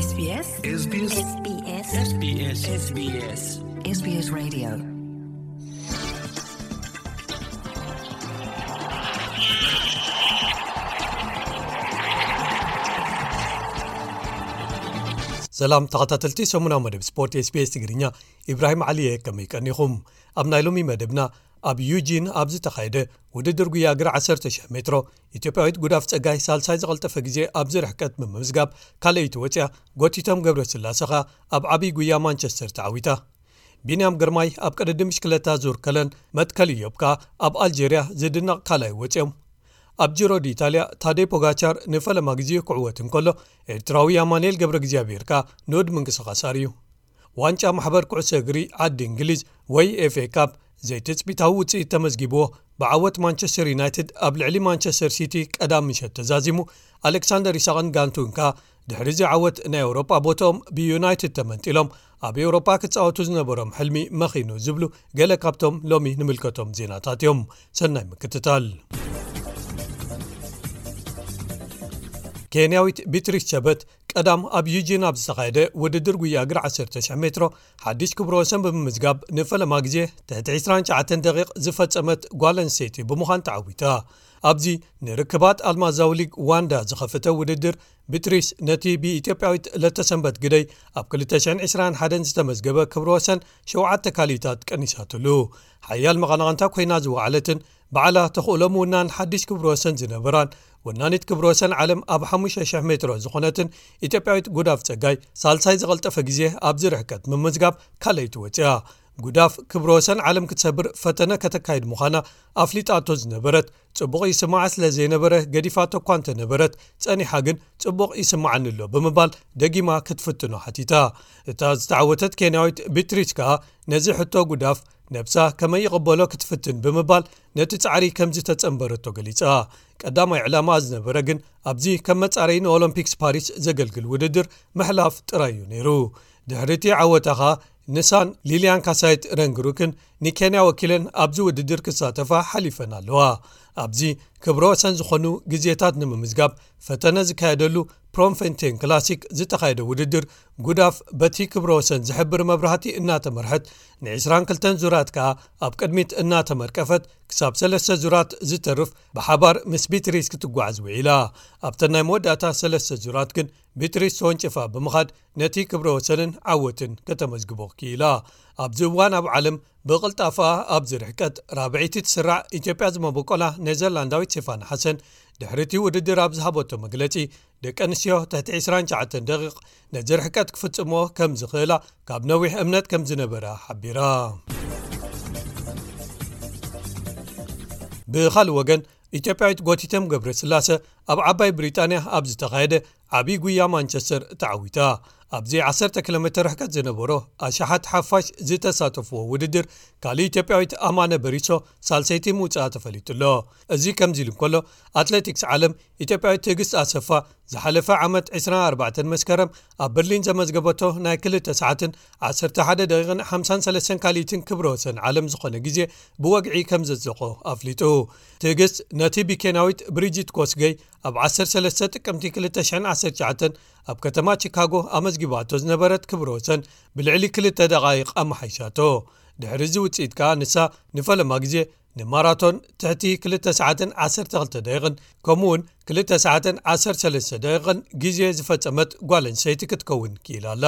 SBS SBS SBS SBS SBS Radio. ሰላም ተኸታተልቲ ሰሙናዊ መደብ ስፖርት SBS ትግርኛ፣ ኢብራሂም ዓሊ እየ። ከመይ ቀኒኹም? ኣብ ናይ ሎሚ መደብና፣ ኣብ ዩጂን ኣብ ዝተኻየደ ውድድር ጉያ እግሪ ዓሰርተ ሺሕ ሜትሮ፣ ኢትዮጵያዊት ጉዳፍ ጸጋይ ሳልሳይ ዝቐልጠፈ ግዜ ኣብዚ ርሕቀት ብምምዝጋብ ካልኣይቲ ወጽያ፣ ጎቲቶም ገብረስላሰ ኸኣ ኣብ ዓብዪ ጉያ ማንቸስተር ተዓዊታ። ቢንያም ግርማይ ኣብ ቅድድም ብሽክለታ ዙር ከለን፣ መትከል ኢዮብ ከኣ ኣብ ኣልጀርያ ዝድነቕ ካልኣይ ወጽዮም። ኣብ ጂሮ ዲኢታልያ፣ ታደይ ፖጋቻር ንፈለማ ግዜ ክዕወት እንከሎ፣ ኤርትራዊ ኣማኑኤል ገብረ እግዚኣብሔር ከኣ ንኡድ ምንቅስቓስ ኣርእዩ። ዋንጫ ማሕበር ኩዕሶ እግሪ ዓዲ እንግሊዝ ወይ ኤፍኤ ካፕ ዘይትጽቢታዊ ውጽኢት ተመዝጊብዎ፣ ብዓወት ማንቸስተር ዩናይትድ ኣብ ልዕሊ ማንቸስተር ሲቲ ቀዳም ምሸት ተዛዚሙ፣ ኣሌክሳንደር ኢሳቕን ጋንቱን ከኣ ድሕሪ እዚ ዓወት ናይ ኤውሮጳ ቦትኦም ብዩናይትድ ተመንጢሎም፣ ኣብ ኤውሮጳ ክጻወቱ ዝነበሮም ሕልሚ መኺኑ ዝብሉ ገለ ካብቶም ሎሚ ንምልከቶም ዜናታት እዮም። ሰናይ ምክትታል። ኬንያዊት ቢትሪስ ቸበት ቀዳም ኣብ ዩጂን ኣብ ዝተኻየደ ውድድር ጉያ እግሪ ዓሰርተ ሺሕ ሜትሮ ሓድሽ ክብረ ወሰን ብምምዝጋብ ንፈለማ ግዜ ትሕቲ ዕስራን ትሽዓተን ደቂቕ ዝፈጸመት ጓል ኣንስተይቲ ብምዃን ተዓዊታ። ኣብዚ ንርክባት ኣልማዛዊ ሊግ ዋንዳ ዝኸፈተ ውድድር፣ ቢትሪስ ነቲ ብኢትዮጵያዊት ለተሰንበት ግደይ ኣብ ክልተ ሽሕን ዕስራን ሓደን ዝተመዝገበ ክብረ ወሰን ሸውዓተ ካልኢታት ቀኒሳትሉ። ሓያል መቐናቕንታ ኮይና ዝወዓለትን ባዕላ ተኽእሎ ምውናን ሓድሽ ክብረ ወሰን ዝነበራን፣ ወናኒት ክብረ ወሰን ዓለም ኣብ ሓሙሽተ ሽሕ ሜትሮ ዝኾነትን ኢትዮጵያዊት ጉዳፍ ጸጋይ፣ ሳልሳይ ዝቐልጠፈ ግዜ ኣብዚ ርሕቀት ምምዝጋብ ካልኣይቲ ወጽያ። ጉዳፍ ክብረ ወሰን ዓለም ክትሰብር ፈተነ ከተካይድ ምዃና ኣፍሊጣቶ ዝነበረት፣ ጽቡቕ ይስምዓ ስለ ዘይነበረ ገዲፋቶ እኳ እንተነበረት፣ ጸኒሓ ግን ጽቡቕ ይስምዓኒ ኣሎ ብምባል ደጊማ ክትፍትኖ ሓቲታ። እታ ዝተዓወተት ኬንያዊት ቢትሪስ ከኣ ነዚ ሕቶ ጉዳፍ ነብሳ ከመይ ይቕበሎ ክትፍትን ብምባል ነቲ ጻዕሪ ከም ዝተጸንበረቶ ገሊጻ። ቀዳማይ ዕላማ ዝነበረ ግን ኣብዚ ከም መጻረዪ ንኦሎምፒክስ ፓሪስ ዘገልግል ውድድር ምሕላፍ ጥራይ እዩ ነይሩ። ድሕሪ እቲ ዓወታ ኸኣ ንሳን ሊልያን ካሳይት ረንግሩክን ንኬንያ ወኪለን ኣብዚ ውድድር ክሳተፋ ሓሊፈን ኣለዋ። ኣብዚ ክብረ ወሰን ዝኾኑ ግዜታት ንምምዝጋብ ፈተነ ዝካየደሉ ፕሮምፌንቴን ክላሲክ ዝተኻየደ ውድድር፣ ጉዳፍ በቲ ክብረ ወሰን ዝሕብር መብራህቲ እናተመርሐት፣ ንዕስራን ክልተን ዙራት ከኣ ኣብ ቅድሚት እናተመርቀፈት፣ ክሳብ ሰለስተ ዙራት ዝተርፍ ብሓባር ምስ ቢትሪስ ክትጓዓዝ ውዒላ። ኣብተን ናይ መወዳእታ ሰለስተ ዙራት ግን ቢትሪስ ተወንጭፋ ብምኻድ ነቲ ክብረ ወሰንን ዓወትን ከተመዝግቦ ክኢላ። ኣብዚ እዋን ኣብ ዓለም ብቕልጣፋ ኣብዚ ርሕቀት ራብዐይቲ ትስራዕ ኢትዮጵያ ዝመበቆላ ኔዘርላንዳዊት ሴፋና ሓሰን፣ ድሕሪ እቲ ውድድር ኣብ ዝሃበቶ መግለጺ፣ ደቂ ኣንስትዮ ትሕቲ ዕስራን ትሽዓተን ደቂቕ ነዚ ርሕቀት ክፍጽሞ ከም ዝኽእላ ካብ ነዊሕ እምነት ከም ዝነበራ ሓቢራ። ብኻልእ ወገን፣ ኢትዮጵያዊት ጎቲቶም ገብረስላሰ ኣብ ዓባይ ብሪጣንያ ኣብ ዝተኻየደ ዓብዪ ጉያ ማንቸስተር ተዓዊታ። ኣብዚ ዓሰርተ ኪሎ ሜትር ርሕቀት ዝነበሮ ኣሽሓት ሓፋሽ ዝተሳተፍዎ ውድድር፣ ካልእ ኢትዮጵያዊት ኣማነ በሪሶ ሳልሰይቲ ምውጽኣ ተፈሊጡ ኣሎ። እዚ ከምዚ ኢሉ እንከሎ፣ ኣትሌቲክስ ዓለም ኢትዮጵያዊት ትዕግስት ኣሰፋ ዝሓለፈ ዓመት ዕስራን ኣርባዕተን መስከረም ኣብ በርሊን ዘመዝገበቶ ናይ ክልተ ሰዓትን ዓሰርተ ሓደ ደቂቕን ሓምሳን ሰለስተን ካልኢትን ክብረ ወሰን ዓለም ዝኾነ ግዜ ብወግዒ ከም ዘጽደቖ ኣፍሊጡ። ትዕግስት ነቲ ብኬንያዊት ብሪጂት ኮስገይ ኣብ ዓሰርተ ሰለስተ ጥቅምቲ ክልተ ሽሕን ዓሰርተ ትሽዓተን ኣብ ከተማ ቺካጎ ኣመዝጊባቶ ዝነበረት ክብረ ወሰን ብልዕሊ ክልተ ደቓይቕ ኣመሓይሻቶ። ድሕሪ እዚ ውጽኢት ከኣ ንሳ ንፈለማ ግዜ ንማራቶን ትሕቲ ክልተ ሰዓትን ዓሰርተ ክልተ ደቂቕን ከምኡውን ክልተ ሰዓትን ዓሰርተ ሰለስተ ደቂቕን ግዜ ዝፈጸመት ጓል ኣንስተይቲ ክትከውን ክኢላ ኣላ።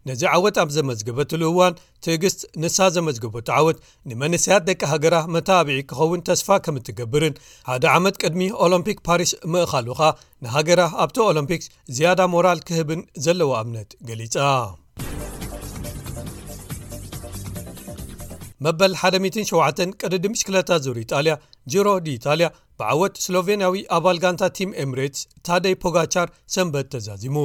ነዚ ዓወት ኣብ ዘመዝገበትሉ እዋን፣ ትዕግስት ንሳ ዘመዝገበቶ ዓወት ንመንእሰያት ደቂ ሃገራ መተባብዒ ክኸውን ተስፋ ከም እትገብርን፣ ሓደ ዓመት ቅድሚ ኦሎምፒክ ፓሪስ ምእኻሉ ኸኣ ንሃገራ ኣብቲ ኦሎምፒክስ ዝያዳ ሞራል ክህብን ዘለዋ እምነት ገሊጻ። መበል ሓደ ሚእትን ሸውዓተን ቅድድም ብሽክለታ ዙር ኢጣልያ፣ ጂሮ ዲ ኢጣልያ፣ ብዓወት ስሎቬንያዊ ኣባል ጋንታ ቲም ኤምሬትስ ታደይ ፖጋቻር ሰንበት ተዛዚሙ።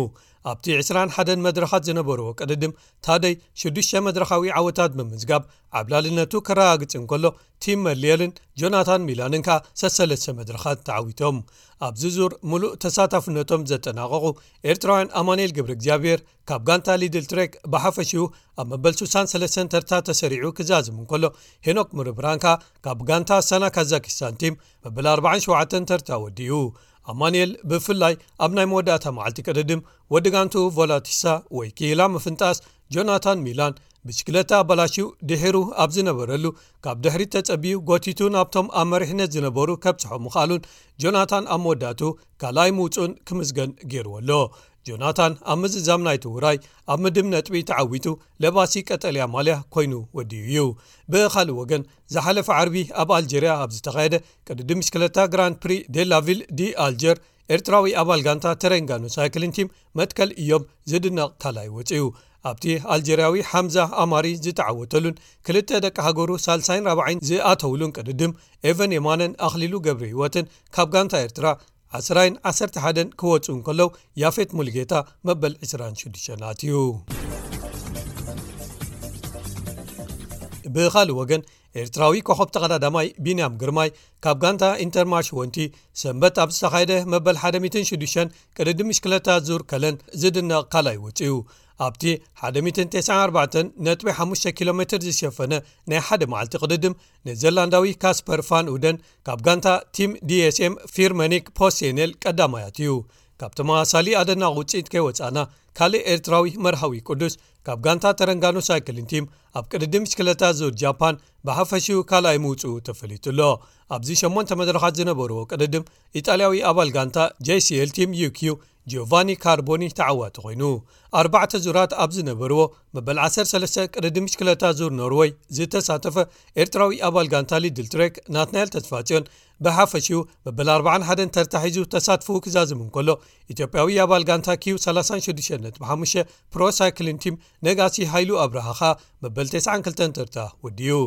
ኣብቲ ዕስራን ሓደን መድረኻት ዝነበርዎ ቅድድም፣ ታደይ ሽዱሽተ መድረኻዊ ዓወታት ብምምዝጋብ ዓብላልነቱ ከረጋግጽ እንከሎ፣ ቲም መርሊየልን ጆናታን ሚላንን ከኣ ሰሰለስተ መድረኻት ተዓዊቶም። ኣብዚ ዙር ምሉእ ተሳታፍነቶም ዘጠናቐቑ ኤርትራውያን ኣማኑኤል ገብረ እግዚኣብሔር ካብ ጋንታ ሊድል ትሬክ ብሓፈሽኡ ኣብ መበል ሱሳን ሰለስተን ተርታ ተሰሪዑ ክዛዝም እንከሎ፣ ሄኖክ ምርብራን ከኣ ካብ ጋንታ ኣስታና ካዛኪስታን ቲም መበል ኣርባዓን ሸውዓተን ተርታ ወዲኡ። ኣማንኤል ብፍላይ ኣብ ናይ መወዳእታ መዓልቲ ቅድድም ወዲ ጋንቱ ቮላቲሳ ወይ ክኢላ ምፍንጣስ ጆናታን ሚላን ብሽክለታ ኣበላሽዩ ድሒሩ ኣብ ዝነበረሉ ካብ ድሕሪት ተጸቢዩ ጎቲቱ ናብቶም ኣብ መሪሕነት ዝነበሩ ከብጽሖ ምኽኣሉን ጆናታን ኣብ መወዳእቱ ካልኣይ ምውጹን ክምስገን ገይርዎ ኣሎ። ጆናታን ኣብ ምዝዛም ናይቲ ውራይ ኣብ ምድብ ነጥቢ ተዓዊቱ ለባሲ ቀጠልያ ማልያ ኮይኑ ወዲኡ እዩ። ብኻልእ ወገን ዝሓለፈ ዓርቢ ኣብ ኣልጀርያ ኣብ ዝተኻየደ ቅድድም ብሽክለታ ግራንድ ፕሪ ዴላቪል ዲ ኣልጀር ኤርትራዊ ኣባል ጋንታ ተረንጋኑ ሳይክሊን ቲም መትከል እዮም ዝድነቕ ካልኣይ ወፂኡ። ኣብቲ ኣልጀርያዊ ሓምዛ ኣማሪ ዝተዓወተሉን ክልተ ደቂ ሃገሩ ሳልሳይን ራብዓይን ዝኣተውሉን ቅድድም ኤቨን የማነን ኣኽሊሉ ገብረ ህይወትን ካብ ጋንታ ኤርትራ ዓስራይን ዓሰርተ ሓደን ክወፁ እንከለዉ ያፌት ሙልጌታ መበል ዕስራን ሽዱሽተን ኣትዩ። ብኻልእ ወገን ኤርትራዊ ኮኸብ ተቐዳዳማይ ቢንያም ግርማይ ካብ ጋንታ ኢንተርማሽ ወንቲ ሰንበት ኣብ ዝተኻየደ መበል ሓደ ሚእትን ሽዱሽተን ቅድድም ብሽክለታ ዙር ከለን ዝድነቕ ካልኣይ ወፂኡ። ኣብቲ ሓደ ሚእትን ተስዓን ኣርባዕተን ነጥቢ ሓሙሽተ ኪሎ ሜትር ዝሸፈነ ናይ ሓደ መዓልቲ ቅድድም ኔዘርላንዳዊ ካስፐር ፋን ኡደን ካብ ጋንታ ቲም ዲኤስኤም ፊርመኒክ ፖስቴኔል ቀዳማይ ኣትዩ። ካብ ተመሳሳሊ ኣደናቒ ውፅኢት ከይወፃእና ካልእ ኤርትራዊ መርሃዊ ቅዱስ ካብ ጋንታ ተረንጋኑ ሳይክሊን ቲም ኣብ ቅድድም ብሽክለታ ዙር ጃፓን ብሓፈሽኡ ካልኣይ ምውፅኡ ተፈሊጡ ኣሎ። ኣብዚ ሸሞንተ መድረኻት ዝነበርዎ ቅድድም ኢጣልያዊ ኣባል ጋንታ ጄሲኤል ቲም ዩኪዩ ጂዮቫኒ ካርቦኒ ተዓዋቲ ኮይኑ። ኣርባዕተ ዙራት ኣብ ዝነበርዎ መበል ዓሰርተ ሰለስተ ቅድድም ብሽክለታ ዙር ኖርወይ ዝተሳተፈ ኤርትራዊ ኣባል ጋንታ ሊድል ትሬክ ናትናኤል ተስፋጽዮን ብሓፈሽኡ መበል ኣርባዓን ሓደን ተርታ ሒዙ ተሳትፎኡ ክዛዝም እንከሎ፣ ኢትዮጵያዊ ኣባል ጋንታ ኪዩ ሰላሳን ሽዱሽተን ነጥቢ ሓሙሽተ ፕሮ ሳይክሊን ቲም ነጋሲ ሃይሉ ኣብርሃ ኸኣ መበል ተስዓን ክልተን ተርታ ወዲኡ።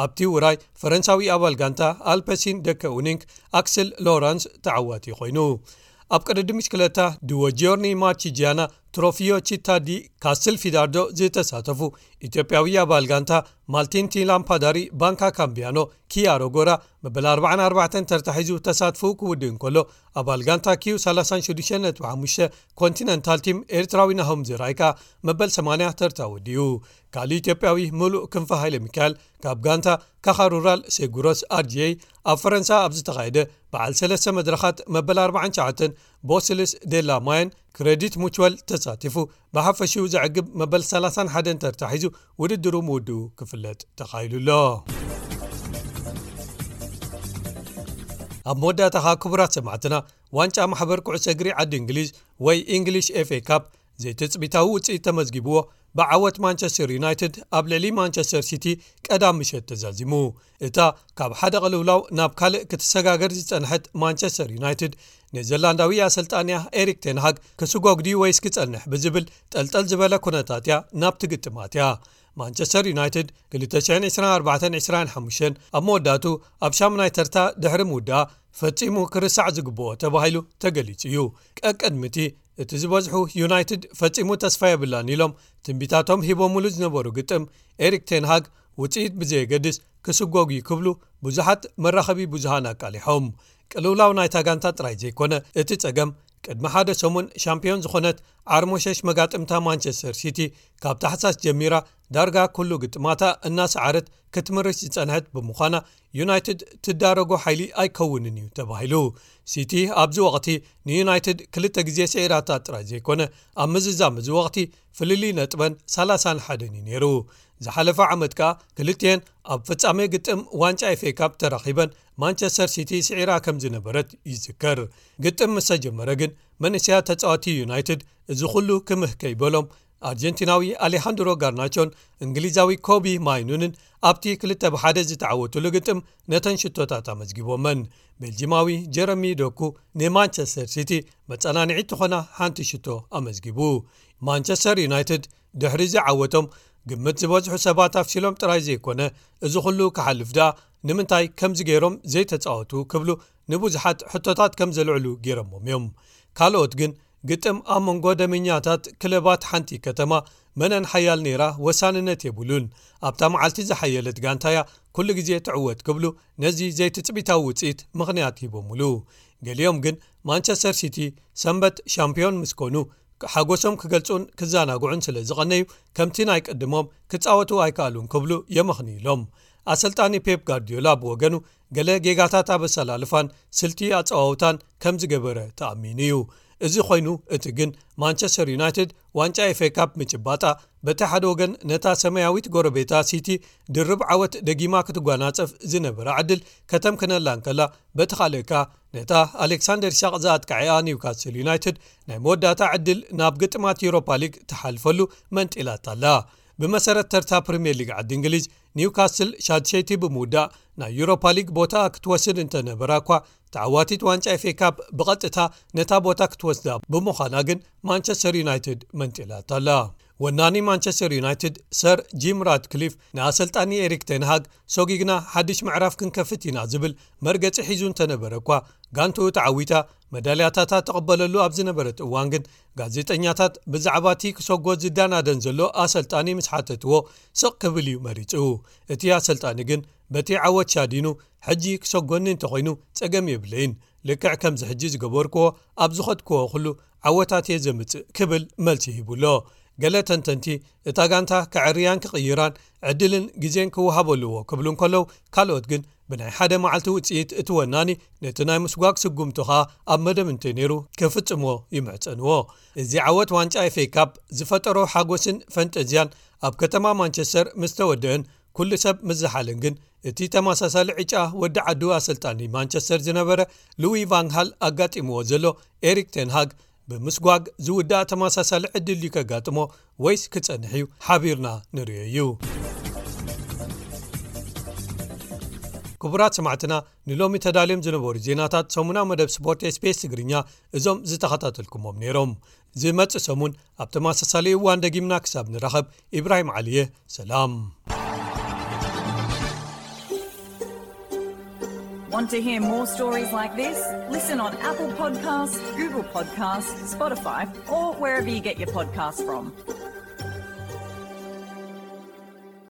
ኣብቲ ውራይ ፈረንሳዊ ኣባል ጋንታ ኣልፐሲን ደከ ኡኒንክ ኣክስል ሎራንስ ተዓዋቲ ኮይኑ። ኣብ ቅድድም ብሽክለታ ድወ ጂዮርኒ ማቺጂያና ትሮፊዮ ቺታ ዲ ካስል ፊዳርዶ ዝተሳተፉ ኢትዮጵያዊ ኣባል ጋንታ ማልቲንቲ ላምፓዳሪ ባንካ ካምቢያኖ ኪያሮ ጎራ መበል ኣርባዓን ኣርባዕተን ተርታ ሒዙ ተሳትፎኡ ክውድእ እንከሎ፣ ኣባል ጋንታ ኪዩ ሰላሳን ሽዱሽተን ነጥቢ ሓሙሽተ ኮንቲነንታል ቲም ኤርትራዊ ናሆም ዘርኣይ ከኣ መበል ሰማንያ ተርታ ወዲኡ። ካልእ ኢትዮጵያዊ ምሉእ ክንፈ ሃይለ ሚካኤል ካብ ጋንታ ካኻ ሩራል ሴጉሮስ ኣርጂኤይ ኣብ ፈረንሳ ኣብ ዝተኻየደ በዓል ሰለስተ መድረኻት መበል ኣርባዓን ትሽዓተን ቦስልስ ዴላ ማየን ክሬዲት ሙቹዋል ተሳቲፉ ብሓፈሽኡ ዘዕግብ መበል ሰላሳን ሓደን ተርታ ሒዙ ውድድሩ ምውድኡ ክፍለጥ ተኻኢሉ ኣሎ። ኣብ መወዳእታ ኸኣ ክቡራት ሰማዕትና፣ ዋንጫ ማሕበር ኩዕሶ እግሪ ዓዲ እንግሊዝ ወይ ኢንግሊሽ ኤፍ ኤ ካፕ ዘይትጽቢታዊ ውጽኢት ተመዝጊብዎ ብዓወት ማንቸስተር ዩናይትድ ኣብ ልዕሊ ማንቸስተር ሲቲ ቀዳም ምሸት ተዛዚሙ። እታ ካብ ሓደ ቅልውላው ናብ ካልእ ክትሰጋገር ዝጸንሐት ማንቸስተር ዩናይትድ ኔዘርላንዳዊ ኣሰልጣንያ ኤሪክ ቴንሃግ ክስጎግ ድዩ ወይስ ክጸንሕ ብዝብል ጠልጠል ዝበለ ኩነታት እያ ናብቲ ግጥም ኣትያ። ማንቸስተር ዩናይትድ ክልተ ሽሕን ዕስራን ኣርባዕተን ዕስራን ሓሙሽተን ኣብ መወዳእቱ ኣብ ሻሙናይ ተርታ ድሕሪ ምውዳኣ ፈጺሙ ክርሳዕ ዝግብኦ ተባሂሉ ተገሊጹ እዩ። ቀቅድሚ እቲ እቲ ዝበዝሑ ዩናይትድ ፈጺሙ ተስፋ የብላን ኢሎም ትንቢታቶም ሂቦምሉ ዝነበሩ ግጥም ኤሪክ ቴንሃግ ውጽኢት ብዘየገድስ ክስጎግ እዩ ክብሉ ብዙሓት መራኸቢ ብዙሃን ኣቃሊሖም። ቅልውላው ናይታ ጋንታ ጥራይ ዘይኮነ እቲ ጸገም ቅድሚ ሓደ ሰሙን ሻምፒዮን ዝኾነት ዓርሞሸሽ መጋጥምታ ማንቸስተር ሲቲ ካብ ታሕሳስ ጀሚራ ዳርጋ ኩሉ ግጥማታ እናሰዓረት ክትምርሽ ዝጸንሐት ብምዃና ዩናይትድ ትዳረጎ ሓይሊ ኣይከውንን እዩ ተባሂሉ። ሲቲ ኣብዚ ወቕቲ ንዩናይትድ ክልተ ግዜ ስዒራታ ጥራይ ዘይኮነ ኣብ ምዝዛም እዚ ወቕቲ ፍልልይ ነጥበን ሰላሳን ሓደን እዩ ነይሩ። ዝሓለፈ ዓመት ከኣ ክልቲኤን ኣብ ፍጻሜ ግጥም ዋንጫ ኤፍ ኤ ካፕ ተራኺበን ማንቸስተር ሲቲ ስዒራ ከም ዝነበረት ይዝከር። ግጥም ምስ ተጀመረ ግን መንእሰያት ተጻወቲ ዩናይትድ እዚ ኩሉ ክምህ ከይበሎም ኣርጀንቲናዊ ኣሌሃንድሮ ጋርናቾን እንግሊዛዊ ኮቢ ማይኑንን ኣብቲ ክልተ ብሓደ ዝተዓወቱሉ ግጥም ነተን ሽቶታት ኣመዝጊቦመን። ቤልጂማዊ ጀረሚ ዶኩ ንማንቸስተር ሲቲ መጸናንዒት ትኾና ሓንቲ ሽቶ ኣመዝጊቡ። ማንቸስተር ዩናይትድ ድሕሪ እዚ ዓወቶም ግምት ዝበዝሑ ሰባት ኣፍሲሎም ጥራይ ዘይኮነ እዚ ኩሉ ክሓልፍ ደኣ ንምንታይ ከምዚ ገይሮም ዘይተጻወቱ ክብሉ ንብዙሓት ሕቶታት ከም ዘልዕሉ ገይሮሞም እዮም። ካልኦት ግን ግጥም ኣብ መንጎ ደመኛታት ክለባት ሓንቲ ከተማ መነን ሓያል ነይራ ወሳንነት የብሉን። ኣብታ መዓልቲ ዝሓየለት ጋንታ እያ ኩሉ ግዜ ትዕወት ክብሉ ነዚ ዘይትጽቢታዊ ውጽኢት ምኽንያት ሂቦምሉ። ገሊኦም ግን ማንቸስተር ሲቲ ሰንበት ሻምፒዮን ምስ ኮኑ ሓጎሶም ክገልጹን ክዘናግዑን ስለ ዝቐነዩ ከምቲ ናይ ቅድሞም ክጻወቱ ኣይከኣሉን ክብሉ የመኽንዩሎም። ኣሰልጣኒ ፔፕ ጋርዲዮላ ብወገኑ፣ ገለ ጌጋታት ኣብ ኣሰላልፋን ስልቲ ኣጸዋውታን ከም ዝገበረ ተኣሚኑ እዩ። እዚ ኮይኑ፣ እቲ ግን ማንቸስተር ዩናይትድ ዋንጫ ኤፍ ኤ ካፕ ምጭባጣ፣ በቲ ሓደ ወገን ነታ ሰማያዊት ጎረቤታ ሲቲ ድርብ ዓወት ደጊማ ክትጓናጸፍ ዝነበራ ዕድል ከተምክነላ እንከላ፣ በቲ ካልእ ከኣ ነታ ኣሌክሳንደር ኢሳቕ ዝኣጥቃዐኣ ኒውካስል ዩናይትድ ናይ መወዳእታ ዕድል ናብ ግጥማት ዩሮፓ ሊግ ትሓልፈሉ መንጢላታ ኣላ። ብመሰረት ተርታ ፕሪምየር ሊግ ዓዲ እንግሊዝ፣ ኒውካስል ሻድሸይቲ ብምውዳእ ናይ ዩሮፓ ሊግ ቦታ ክትወስድ እንተነበራ እኳ፣ ተዓዋቲት ዋንጫ ኤፍ ኤ ካፕ ብቐጥታ ነታ ቦታ ክትወስዳ ብምዃና ግን ማንቸስተር ዩናይትድ መንጢላታ ኣላ። ወናኒ ማንቸስተር ዩናይትድ ሰር ጂም ራድክሊፍ ንኣሰልጣኒ ኤሪክ ቴንሃግ፣ ሶጊግና ሓድሽ ምዕራፍ ክንከፍት ኢና ዝብል መርገጺ ሒዙ እንተነበረ እኳ፣ ጋንትኡ ተዓዊታ መዳልያታታ ተቐበለሉ ኣብ ዝነበረት እዋን ግን፣ ጋዜጠኛታት ብዛዕባ እቲ ክሰጎ ዝዳናደን ዘሎ ኣሰልጣኒ ምስ ሓተትዎ፣ ስቕ ክብል እዩ መሪጹ። እቲ ኣሰልጣኒ ግን በቲ ዓወት ሻዲኑ፣ ሕጂ ክሰጎኒ እንተኾይኑ ጸገም የብለይን፣ ልክዕ ከምዚ ሕጂ ዝገበርክዎ ኣብ ዝኸድክዎ ኩሉ ዓወታት እየ ዘምጽእ ክብል መልሲ ሂቡ ኣሎ። ገለ ተንተንቲ፣ እታ ጋንታ ከዕርያን ክቕይራን ዕድልን ግዜን ክወሃቦ ኣለዎ ክብሉ እንከለዉ፣ ካልኦት ግን ብናይ ሓደ መዓልቲ ውጽኢት እቲ ወናኒ ነቲ ናይ ምስጓግ ስጉምቱ ኸኣ ኣብ መደብ እንተነይሩ ክፍጽሞ ይምሕጸንዎ። እዚ ዓወት ዋንጫ ኤፍ ኤ ካፕ ዝፈጠሮ ሓጎስን ፈንጠዝያን ኣብ ከተማ ማንቸስተር ምስ ተወደአን፣ ኩሉ ሰብ ምስ ዝሓለን ግን፣ እቲ ተመሳሳሊ ዕጫ ወዲ ዓዱ ኣሰልጣኒ ማንቸስተር ዝነበረ ሉዊ ቫንሃል ኣጋጢምዎ ዘሎ ኤሪክ ቴንሃግ፣ ብምስጓግ ዝውዳእ ተመሳሳሊ ዕድል ድዩ ከጋጥሞ፣ ወይስ ክጸንሕ እዩ? ሓቢርና ንርእዮ እዩ። ክቡራት ሰማዕትና፣ ንሎሚ ተዳልዮም ዝነበሩ ዜናታት ሰሙናዊ መደብ ስፖርት ኤስ ቢ ኤስ ትግርኛ እዞም ዝተኸታተልኩሞም ነይሮም። ዝመጽእ ሰሙን ኣብ ተመሳሳሊ እዋን ደጊምና ክሳብ ንራኸብ፣ ኢብራሂም ዓሊየ፣ ሰላም። Want to hear more stories like this? Listen on Apple Podcasts, Google Podcasts, Spotify, or wherever you get your podcasts from.